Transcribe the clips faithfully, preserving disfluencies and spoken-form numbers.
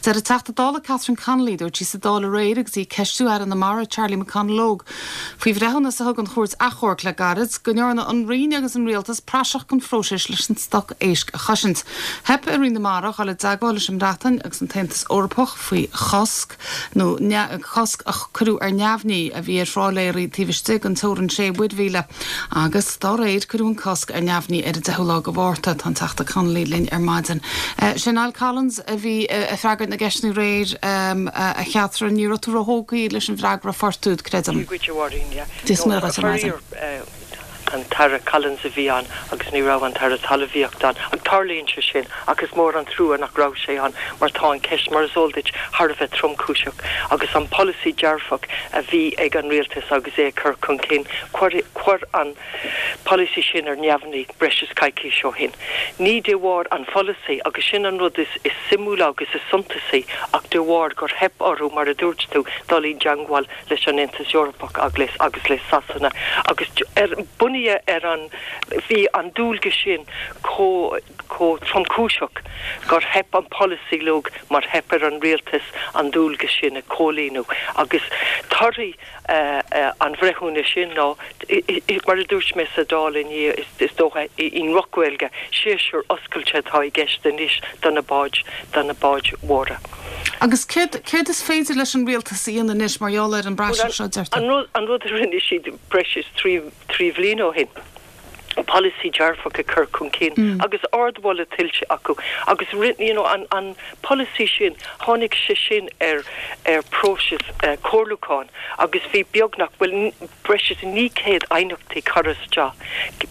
Deir an Teachta Dála Catherine Connolly dúirt sí sa Dáil aréir agus í ag ceistiú Aire na Mara Charlie McConalogue. Faoi bhreithiúnas a thug an chúirt achomhairc le gairid go ndearna an Roinn agus an rialtas praiseach den phróiseas leis an stoc éisc a chosaint. Theip ar Roinn na Mara dul i dteagmháil leis an mBreatain agus an tAontas Eorpach faoi chosc nó cosc a cuireadh ar neamhní a bhí ar thrálaeirí taobh istigh den teorainn sé mhuirmhíle agus dá réir cuireadh an cosc ar neamhní ar an deichiú lá de Mhárta tá an Teachta Connolly linn ar maidin. Uh, Sin Niall Collins a bhí ag freagairt na gceisteanna aréir um, a Chatherine ní raibh tú róthógtha leis an bhfreagra a fuair tú creidim. an tAire Collins a bhí ann agus ní raibh an tAire Talmhaíochta ann ach tarlaíonn sé sin agus mór an trua nach raibh sé ann mar tá an ceist mar is eol duit thar a bheith tromchúiseach agus an polasaí dearfach a bhí ag an rialtas agus é chur chun cinn chuir an polasaí sin ar neamhní breis is coicís ó shin. Ní de bharr an pholasaí agus sin an rud is is suimiúla agus is suntasaí ach de bharr gur theip orthu mar a dúirt tú dul i dteagmháil leis an Aontas Eorpach agus agus le Sasana agus ar bunaithe ar an bhí an dualgas sin chomh chomh tromchúiseach gur theip an polasaí leo mar theip ar an rialtas an dualgas sin a chomhlíonadh agus torthaí uh, uh, an bhreithiúnais sin ná mar a dúirt mé sa Dáil inné is, is dócha i nDroch-Ghaeilge séasúr oscailte atá i gceist anois do na báid do na báid mhóra. Agus céard is féidir leis an rialtas a dhéanamh anois mar gheall ar an bpraiseach seo deirtear. An rud a rinne siad breis is trí trí bhliain ó shin. Polasaí dearfach a chur chun cinn mm. agus ardmholadh tuillte acu agus you know, an, an polasaí sin tháinig sé sin ar ar próiseas uh, comhairliúcháin agus bhí beagnach bhfuil breis is naoi gcéad aighneachtaí curtha isteach.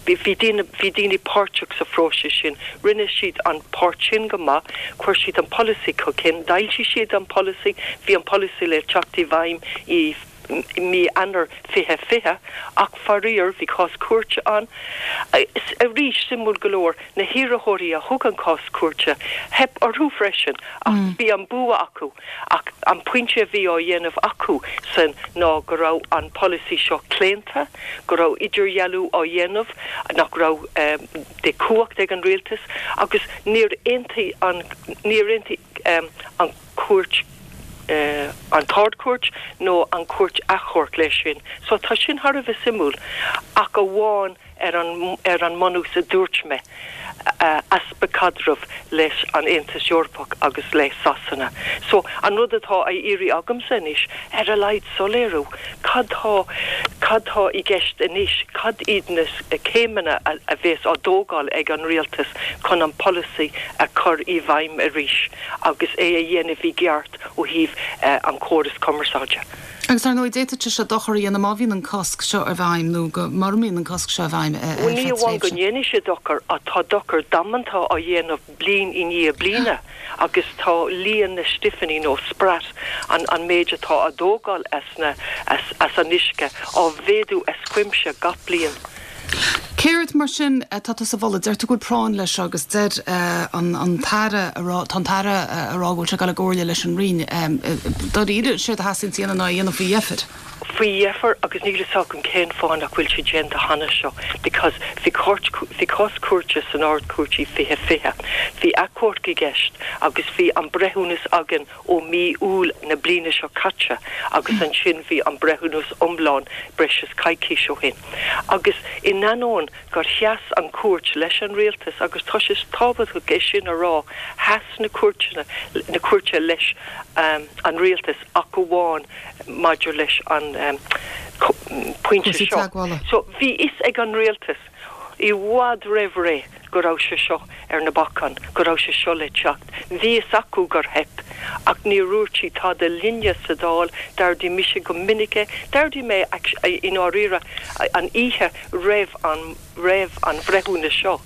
Bhí daoine bhí daoine páirteach sa phróiseas sin, rinne siad an páirt sin go maith, chuir siad an polasaí chun cinn, d'fhoilsigh siad an polasaí, bhí an polasaí le teacht i bhfeidhm i mí Eanáir fiche fiche ach faraor bhí cás cúirte ann. Arís suimiúil go leor na hiarrthóirí a thug an cás cúirte theip orthu freisin ach mm. bhí an bua acu ach an pointe a bhí á dhéanamh acu san ná go raibh an polasaí seo claonta, go raibh idirdhealú á dhéanamh nach raibh um, de chumhacht ag an rialtas agus níor aontaigh an níor aontaigh um, an cúirt uh, an tArd-Chúirt nó an cúirt achomhairc leis sin. So tá sin thar a bheith suimiúil ach amháin ar an ar an mbunús a dúirt mé uh, easpa caidrimh leis an Aontas Eorpach agus le Sasana. So an rud atá á iarraidh agamsa anois ar a laghad soiléiriú cad tá cad tá i gceist anois cad iad na céimeanna a, a bheas á dtógáil ag an rialtas chun an polasaí a chur i bhfeidhm arís agus é a dhéanamh i gceart ó thaobh uh, an córas cumarsáide. Agus ar ndóigh d'fhéadfadh sé dochar a dhéanamh má bhíonn an cosc seo i bhfeidhm nó go mura mbíonn an cosc seo i bhfeidhm Ní amháin go ndéanfaidh sé dochar ach tá dochar damanta á dhéanamh bliain i ndiaidh bliana agus tá líon na stiffiní nó sprat an, an méid atá á dtógáil as, na, as, as an uisce á mhéadú as cuimse gach bliain. Céard mar sin tá sa bhola deir tú go bhfuil práinn leis agus deir uh, an, an tAire tá tAire ag rá go bhfuil sé ag gabháil leis an Roinn dáiríre sé a theastaíonn ná dhéanamh faoi dheifir. Faoi dheifir agus níl a fhios agam cén fáth nach bhfuil sé déanta cheana seo, because bhí bhí cás cúirte san Ard-Chúirt i fiche fiche. Bhí achomharc i gceist agus bhí an breithiúnas againn ó mí Iúil na bliana seo caite agus ansin bhí an breithiúnas iomlán breis is coicís ó shin. Agus in ainneoin gur sheas an cúirt leis an rialtas agus tá sé tábhachtach é sin a rá sheas na cúirteanna na cúirte leis um, an rialtas ach amháin maidir leis an um, pointe seo. So bhí a fhios ag an rialtas i bhfad roimh ré go raibh sé seo ar na bacáin, go raibh sé seo le teacht. Bhí a fhios acu gur theip ach níor dhúirt siad tada linne sa Dáil d'ardaigh mise go minic é, d'ardaigh mé i ndáiríre an oíche roimh an roimh an bhreithiúnas seo,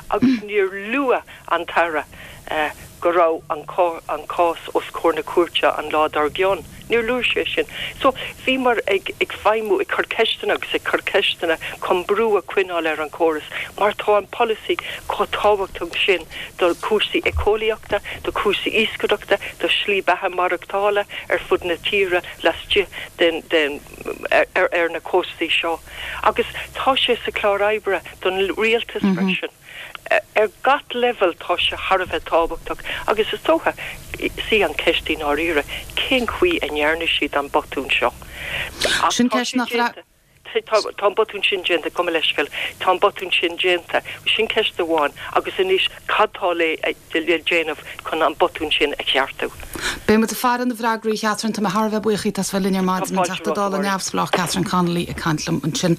agus níor luaigh an tAire uh, go raibh an, an cás os comhair na cúirte an lá dár gcionn. Níor luaigh sé sin. So bhí mar ag ag feidhmiú ag cur ceisteanna agus ag cur ceisteanna chun brú a choinneáil ar an chóras, mar tá an polasaí chomh tábhachtach sin do chúrsaí éiceolaíochta, do chúrsaí iascaireachta, do slí beatha maireachtála ar fud na tíre laistigh den, den, ar, ar, ar na cóstaí seo. Agus tá sé sa chlár oibre don rialtas mm -hmm. freisin. ar gach level tá sé thar a bheith tábhachtach agus is dócha sí an ceist i ndáiríre cén chaoi a ndearna siad an botún seo. Sin ceist nach Tá an botún sin déanta go leisciúil tá an botún sin déanta sin ceist amháin agus anois cad tá le le déanamh chun an botún sin a cheartú. Beidh muid ag faire na bhfreagraí Catherine tá mé thar a bheith buíoch as bheith linn ar maidin an Teachta Dála neamhspleách Catherine Connolly ag caint liom ansin.